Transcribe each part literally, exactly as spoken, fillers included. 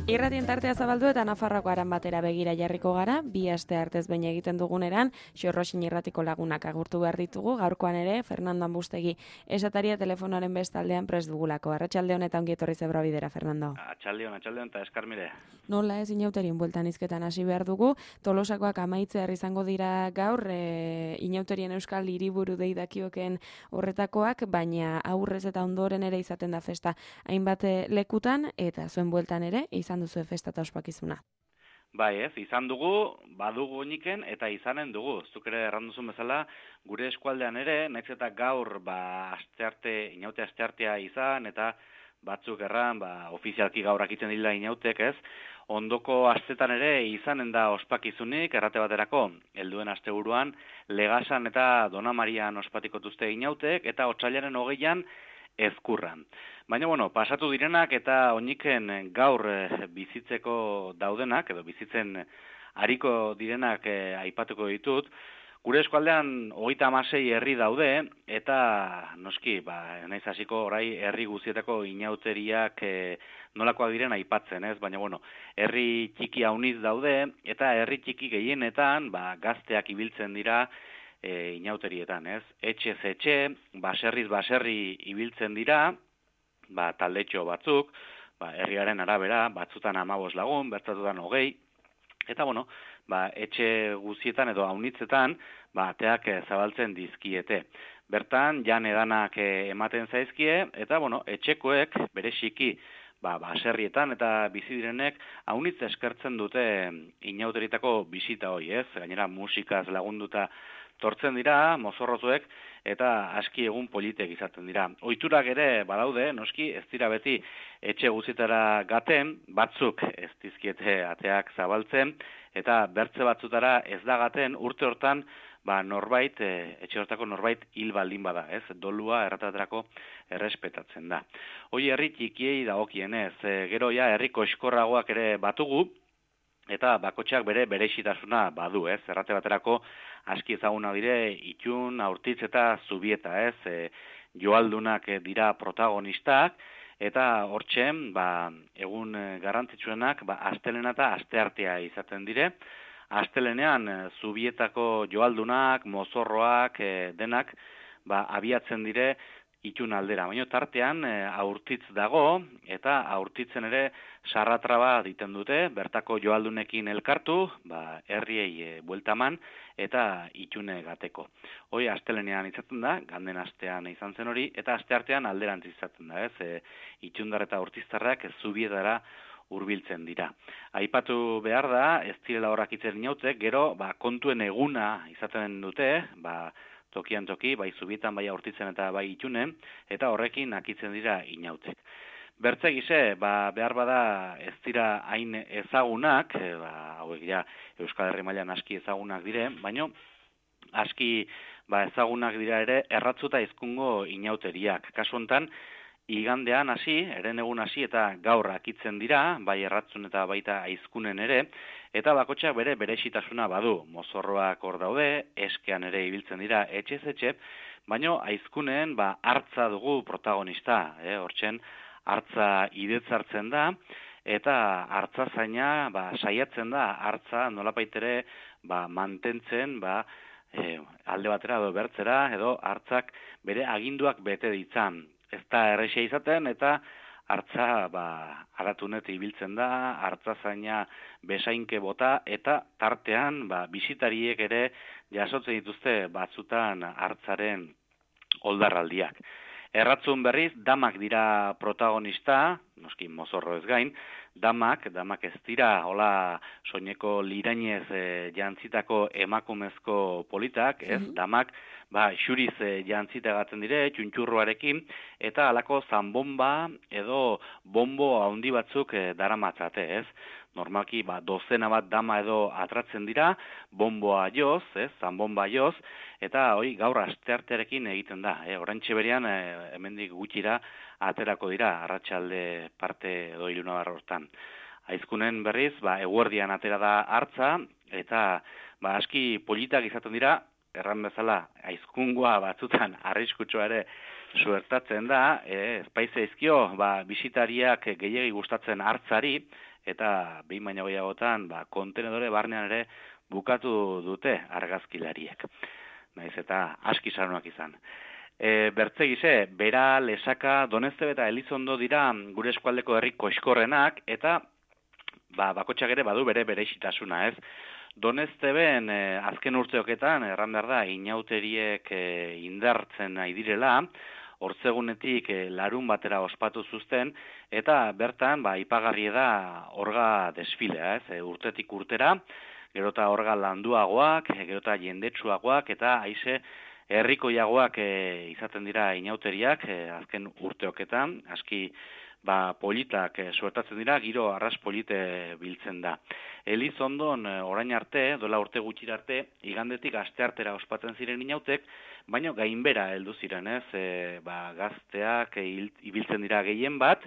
Irratien tartea zabaldu eta Nafarroako aran batera begira jarriko gara, bi aste artez behin egiten duguneran, Xorroxin irratiko lagunak agurtu behar ditugu, gaurkoan ere, Fernando Ambustegi esataria telefonoaren bestaldean prest dugulako. Arratsaldeon eta ongi etorri zebra bidera, Fernando. Atxaldeon, atxaldeon eta eskarmire. Nola ez inauterien bueltan izketan hasi behar dugu, Tolosakoak amaitzear izango dira gaur, e, inauterien euskal hiriburu deidakioken horretakoak, baina aurrez eta ondoren ere izaten da festa hainbat lekutan, eta zuen bueltan ere, izan duzu festa eta ospakizuna. Bai ez, izan dugu, badugu oniken eta izanen dugu. Zuk ere erranduzun bezala, gure eskualdean ere, nahiz eta gaur ba, astearte, inaute asteartea izan, eta batzuk erran, ba, ofizialki gaur akitzen dila inautek ez, ondoko astetan ere izanen da ospakizunik, errate baterako, helduen asteburuan, Legasan eta Dona Marian ospatiko-tuzte inautek, eta otsailaren hogeian, Ezkurran. Baina, bueno, pasatu direnak eta oiniken gaur e, bizitzeko daudenak, edo bizitzen ariko direnak e, aipatuko ditut, gure eskualdean hogeita hamasei herri daude, eta noski, ba, naiz hasiko orai herri guztietako inauteriak e, nolakoak diren aipatzen, ez? Baina, bueno, herri txiki hauniz daude, eta herri txiki gehienetan, ba, gazteak ibiltzen dira, E, inauterietan, ez? Etxez etxe, baserriz baserri ibiltzen dira, ba, taldetxo batzuk, ba, herriaren arabera, batzutan hamabos lagun, bertatutan hogei, eta, bueno, ba, etxe guztietan edo haunitzetan, ba, ateak e, zabaltzen dizkiete. Bertan, jan edanak e, ematen zaizkie, eta, bueno, etxekoek, bereziki, ba, baserrietan eta bizi direnek haunitz eskertzen dute inauteritako bisita hoi, ez? Gainera, musikaz lagunduta tortzen dira, mozorrotuek, eta aski egun politek izaten dira. Ohiturak ere badaude, noski, ez dira beti etxe guztietara gaten, batzuk ez dizkiete ateak zabaltzen, eta bertze batzutara ez da gaten, urte hortan, ba, norbait, e, etxe hortako norbait hil baldin bada, ez? Dolua errataterako errespetatzen da. Hoi herri txikiei dagokienez, e, gero ja herri koxkorragoak ere batugu, eta bakotxak bere berexitasuna badu, ez? Errate baterako aski ezaguna dire Itxun, Aurtitz eta Zubieta, ez? E, joaldunak dira protagonistak, eta hortzen, ba, egun garrantzitsuenak, ba, astelena eta asteartea izaten dire. Astelenean, Zubietako joaldunak, mozorroak, e, denak, ba, abiatzen dire Itxun aldera. Baina tartean e, Aurtitz dago, eta Aurtitzen ere sarratraba diten dute, bertako joaldunekin elkartu, ba, herriei e, bueltaman, eta Itxune gateko. Hoi astelenean izaten da, ganden astean izan zen hori, eta asteartean alderantz izaten da, ez? E, Itxundar eta Urtiztarrak Zubietara hurbiltzen dira. Aipatu behar da, ez direla horrak itzen inautek, gero ba, kontuen eguna izaten dute, ba, tokian toki, bai Zubietan, bai Aurtitzen eta bai Itxunen, eta horrekin akitzen dira inautek. Bertze gise, ba, behar bada ez dira hain ezagunak, e, ba, hauek ja Euskal Herri mailan aski ezagunak dire, baino aski ba, ezagunak dira ere erratzuta hizkungo inauteriak. Kasu hontan, igandean hasi, eren egun hasi eta gaur akitzen dira, bai erratzun eta baita aizkunen ere, eta bakotxak bere berexitasuna badu. Mozorroak hor daude, eskean ere ibiltzen dira etxez etxe, baino aizkunen ba, hartza dugu protagonista, eh? Hortzen hartza idetzartzen da, eta hartza zaina ba, saiatzen da, hartza nolapaitere ba, mantentzen, ba, e, alde batera edo bertzera, edo hartzak bere aginduak bete ditzan. Ez da errexea izaten, eta hartza ba, aratunet ibiltzen da, hartza zaina besainke bota, eta tartean ba, bisitariek ere jasotzen dituzte batzutan hartzaren oldarraldiak. Erratzun berriz, damak dira protagonista, noski mozorro ez gain, damak, damak ez dira, hola soineko lirainez e, jantzitako emakumezko politak, ez, mm-hmm. Damak, ba, xuriz e, jantzitagatzen dire, txuntxurroarekin, eta halako zanbomba edo bombo handi batzuk e, daramatzate, ez. Normalki, ba, dozena bat dama edo atratzen dira, bomboa joz, ez, zanbomba joz, eta hoi gaur asteartearekin egiten da. E, Orantxe berean, e, hemendik gutxira, aterako dira, arratsalde parte edo ilunabar hortan. Aizkunen berriz, ba, eguerdian atera da hartza, eta ba, aski politak izaten dira, erran bezala, aizkungua batzutan arriskutsua ere suertatzen da, e, espaize izkio, ba, bisitariak gehiegi gustatzen hartzari, eta behin baino gehiagotan ba, kontenedore barnean ere bukatu dute argazkilariek. Naiz eta aski saronak izan. E, bertze gize, Bera, Lesaka, Doneztebe eta Elizondo dira gure eskualdeko herri koxkorrenak, eta ba, bakotxak ere badu bere bereixitasuna, ez? Donezteben e, azken urteoketan, erran behar da, inauteriek e, indartzen nahi direla, hortzegunetik e, larun batera ospatu zuzten, eta bertan, ba, ipagarri da orga desfilea, ez? E, urtetik urtera, gero eta orga landuagoak, e, gero eta jendetsuagoak, eta haize herrikoiagoak e, izaten dira inauteriak, e, azken urteoketan, aski ba, politak e, suertatzen dira, giro arras polite biltzen da. Elizondon e, orain arte, dola urte gutxira arte, igandetik asteartera ospatzen ziren inautek, baina gainbera heldu ziren, ez, e, ba, gazteak e, ibiltzen dira gehien bat,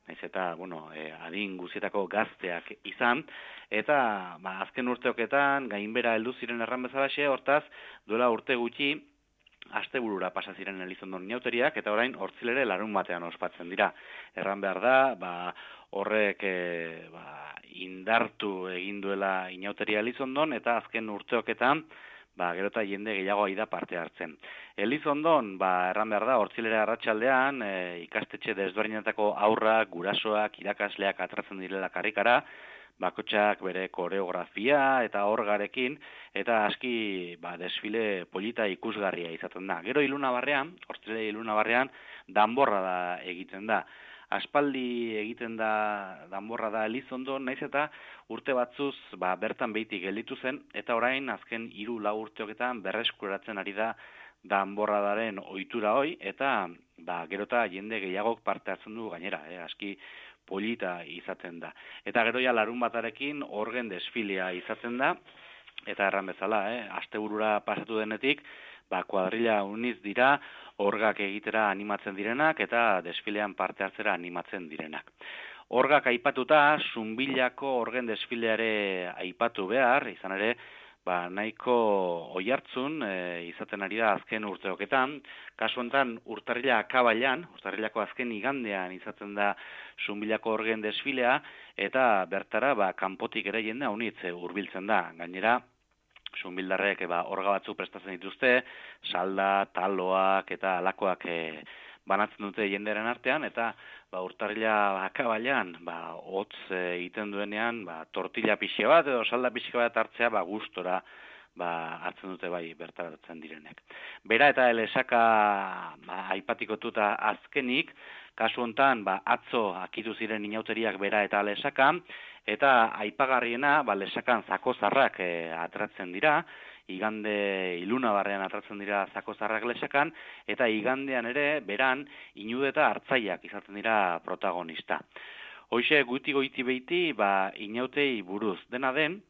naiz eta, bueno, e, adin guzietako gazteak izan, eta ba, azken urteoketan gainbera heldu ziren erran bezalaxe, hortaz, dola urte gutxi, asteburura pasa ziren Elizondon inauteriak, eta orain hortzilere larun batean ospatzen dira. Erran behar da, ba, horrek e, ba, indartu egin duela inauteria Elizondon, eta azken urteoketan, ba, gero eta jende gehiago da parte hartzen. Elizondon, ba, erran behar da, hortzilere arratsaldean e, ikastetxe desberdinetako aurrak, gurasoak, irakasleak atratzen direla karrikara, bakotxak bere koreografia eta orgarekin, eta aski ba, desfile polita ikusgarria izaten da. Gero ilunabarrean, hortzile ilunabarrean, danborra da egiten da. Aspaldi egiten da danborra da Elizondo, naiz eta urte batzuz ba, bertan behitik gelditu zen, eta orain azken hiru lau urteoketan berreskuratzen ari da danborradaren ohitura hoi, eta ba, gero eta jende gehiagok parte hartzen du gainera, eh, aski polita izaten da. Eta gero ja larun batarekin orgen desfilea izaten da, eta erran bezala, eh, asteburura pasatu denetik, ba, kuadrilla uniz dira, orgak egitera animatzen direnak, eta desfilean parte hartzera animatzen direnak. Orgak aipatuta, Zunbilako orgen desfileare aipatu behar, izan ere, ba, nahiko oihartzun e, izaten ari da azken urteoketan. Kasu honetan urtarrila akabailan, urtarrilako azken igandean izaten da Zunbilako orgen desfilea, eta bertara ba, kanpotik ere jende haunitz hurbiltzen da. Gainera, Zunbildarrek ba, orga batzuk prestatzen dituzte, salda, taloak eta alakoak e, banatzen dute jenderen artean, eta ba, urtarrila akabailan, ba, hotz egiten duenean, ba, tortilla pixe bat edo salda pixe bat hartzea, ba, gustora ba, hartzen dute bai bertaratzen direnek. Bera eta Lesaka ba, aipatikotuta azkenik, kasu hontan ba, atzo akitu ziren inauteriak Bera eta Lesaka, eta aipagarriena ba, Lesakan zakozarrak e, atratzen dira, igande ilunabarrean atratzen dira zakozarrak Lesakan, eta igandean ere beran inude eta hartzaiak izaten dira protagonista. Hoxe guti goiti beiti ba, inautei buruz. Dena den,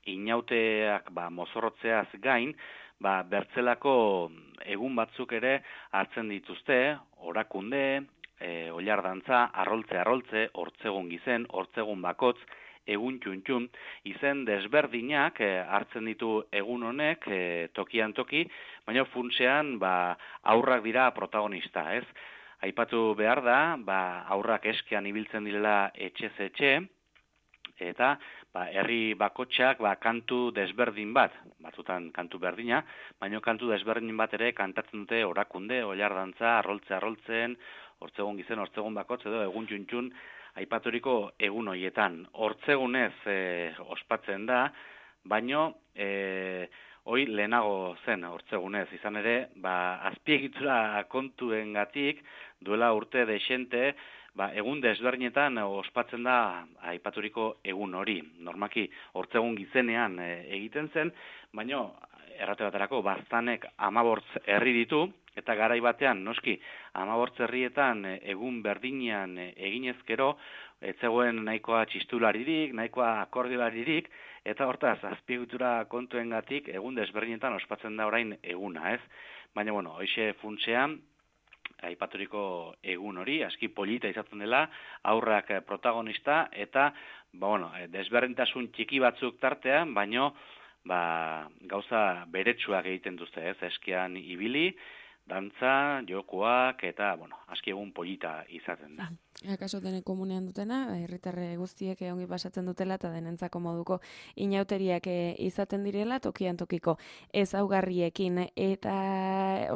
inauteak ba, mozorrotzeaz gain, ba, bertzelako egun batzuk ere hartzen dituzte, orakunde, e, oilardantza, arroltze arroltze, hortzegun gizen, hortzegun bakotz, egun txuntxun, izen desberdinak e, hartzen ditu egun honek e, tokian toki, baina funtsean ba, aurrak dira protagonista, ez? Aipatu behar da, ba, aurrak eskean ibiltzen direla etxez etxe, eta ba, herri bakotxak ba, kantu desberdin bat, batzutan kantu berdina, baina kantu desberdin bat ere kantatzen dute orakunde, oilardantza, arroltze arroltzen, hortzegun gizen, hortzegun bakotz, edo egun txuntxun, aipaturiko egun hoietan. Hortzegunez e, ospatzen da, baino e, hoi lehenago zen hortzegunez. Izan ere, ba, azpiegitura kontuengatik duela urte dexente, ba, egun desberdinetan ospatzen da aipaturiko egun hori. Normaki hortzegun gizenean e, egiten zen, baino errate baterako baztanek hamabortz herri ditu, eta garai batean, noski, hamabortz herrietan egun berdinean eginezkero, ez zegoen nahikoa txistularirik, nahikoa akordiolaririk, eta hortaz, azpiegitura kontuengatik egun desberdinetan ospatzen da orain eguna, ez? Baina, bueno, hoxe funtsean, aipaturiko egun hori, aski polita izaten dela, aurrak protagonista, eta, ba, bueno, desberdintasun txiki batzuk tartean, baino, ba, gauza beretsuak egiten duzte, ez? Eskian ibili, dantza, jokoak, eta, bueno, aski egun polita izaten da. Akaso dene komunean dutena, herritarre guztiek ongi pasatzen dutela eta denentzako moduko inauteriak izaten direla tokian tokiko ezaugarriekin. Eta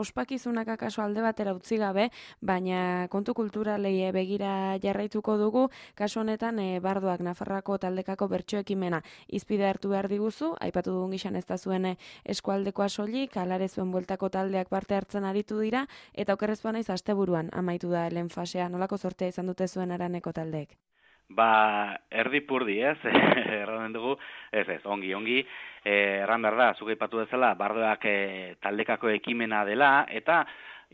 ospakizunak akaso alde batera utzi gabe, baina kontu kulturalei begira jarraituko dugu, kasu honetan Bardoak Nafarroako taldekako bertso ekimena izpide hartu behar diguzu, aipatu dugun gizan ez da zuen eskualdekoa soilik, alare zuen bueltako taldeak parte hartzen aritu dira, eta okerrezkoa naiz asteburuan amaitu da lehen fasea, nolako sortea izan dute zuen Araneko taldeek? Ba, erdi purdi, ez, erraden dugu, ez ez, ongi, ongi, eh, erran behar da, zuke ipatu dezala, Bardoak eh, taldekako ekimena dela, eta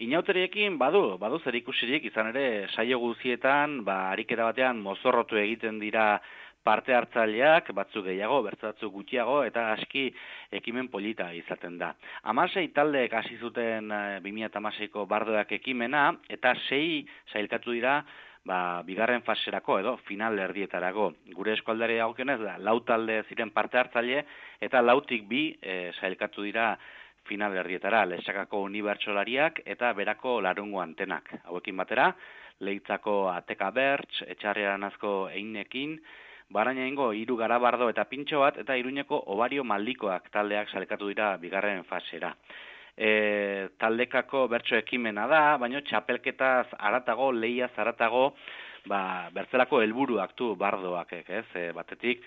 inauteriekin badu, badu zer ikusirik, izan ere, saio guzietan, ba, ariketa batean mozorrotu egiten dira parte hartzaileak, batzuk gehiago, bertze batzuk gutxiago, eta aski ekimen polita izaten da. Hamasei taldeek hasi zuten eh, bi mila hamaseiko Bardoak ekimena, eta sei sailkatu dira, ba, bigarren faserako edo final erdietarako. Gure eskualdari dagokionez da, lau talde ziren parte hartzaile, eta lautik bi e, sailkatu dira final erdietara, Lexakako unibertsolariak eta berako larungo antenak. Hauekin batera, Leitzako Ateka Bertz, Etxarriaranazko Einekin, Barainaingo hiru Garabardo eta Pintxo bat, eta Iruñeko Obario Maldikoak taldeak sailkatu dira bigarren fasera. E, taldekako bertso ekimena da, baina txapelketaz aratago, lehiaz aratago, ba, bertzelako helburuak du Bardoak, ez? E, batetik,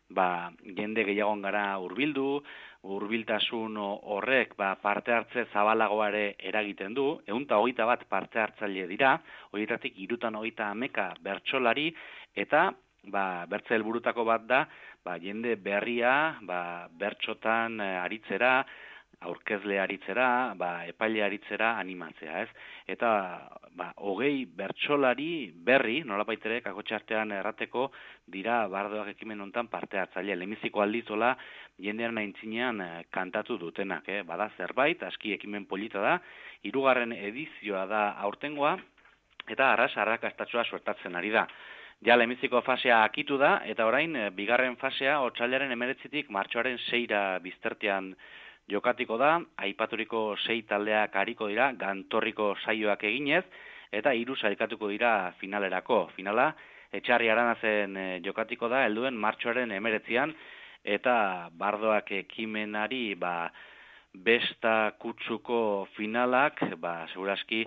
ba, jende gehiagon gara hurbildu, hurbiltasun horrek ba, parte hartze zabalagoare eragiten du, ehun eta hogeita bat parte hartzaile dira, horietatik hirutan hogeita hameka bertsolari, eta ba, bertze helburutako bat da, ba, jende berria, ba, bertsotan e, aritzera, aurkezle aritzera, ba, epaile aritzera animatzea, ez? Eta, ba, hogei bertsolari berri, nolapaitere, kakotxartean errateko, dira Bardoak ekimen hontan parte hartzaile. Lehenbiziko aldizola, jendearen aintzinean eh, kantatu dutenak, eh? Bada zerbait, aski ekimen polita da, hirugarren edizioa da aurtengoa, eta arras arrakastatxoa suertatzen ari da. Ja, lehenbiziko fasea akitu da, eta orain, eh, bigarren fasea, otsailaren hemeretzitik martxoaren seira biztertean jokatiko da, aipaturiko sei taldeak hariko dira, gantorriko saioak eginez, eta hiru sailkatuko dira finalerako. Finala, Etxarri Aranazen e, jokatiko da, helduen martxoaren hemeretzian, eta Bardoak ekimenari ba, besta kutsuko finalak, ba, seguraski,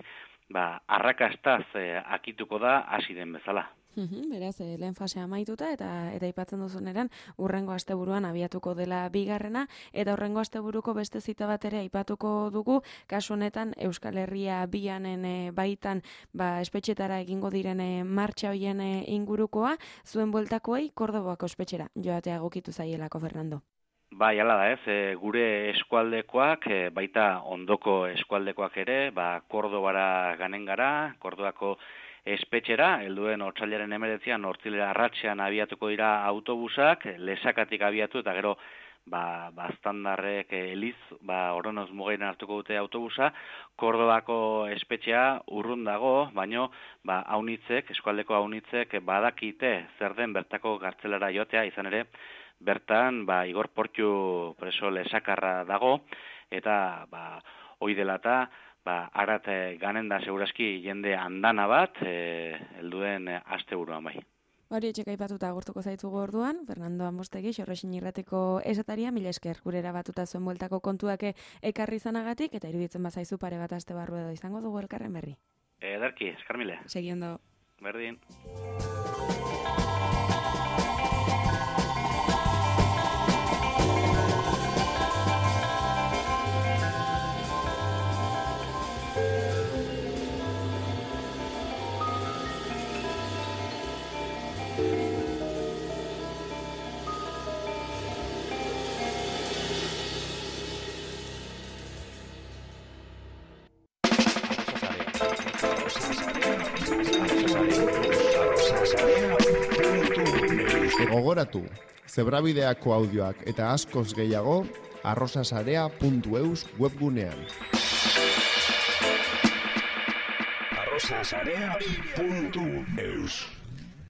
ba, arrakastaz e, akituko da hasi den bezala. Uhum, beraz, eh, lehen fasea amaituta eta eta aipatzen duzuneran urrengo asteburuan abiatuko dela bigarrena eta urrengo asteburuko beste zita bat ere aipatuko dugu, kasu honetan Euskal Herria bianen e, baitan ba, espetxetara egingo diren e, martxa hoien e, ingurukoa, zuen bueltakoei Kordobako espetxera joatea gokitu zaielako, Fernando. Bai, hala da ez, e, gure eskualdekoak, e, baita ondoko eskualdekoak ere, ba, Kordobara ganen gara, Kordobako espetxera, helduen otsailaren hemeretzian hortzilera arratsean abiatuko dira autobusak, Lesakatik abiatu eta gero ba, baztandarrek eliz, ba, Oronoz Mugainen hartuko dute autobusa, Kordobako espetxea urrun dago, baino ba, aunitzek, eskualdeko aunitzek badakite zer den bertako gartzelara joatea, izan ere, bertan ba, Igor Portxu preso lesakarra dago, eta ba, hoi dela eta ba, arat e, ganen da seguraski jende andana bat, e, helduen e, asteburuan bai. Hori etxeka aipatuta agurtuko zaitugu orduan, Fernando Amostegi, Xorrexin Irratiko esataria, mila esker gure erabatuta zuen bueltako kontuak ekarri zanagatik, eta iruditzen bazaizu pare bat aste barru edo izango dugu elkarren berri. Ederki, eskarmile. Segi ondo. Berdin. Gogoratu, zebrabideako audioak eta askoz gehiago arrosasarea puntu eus webgunean. arrosasarea puntu eus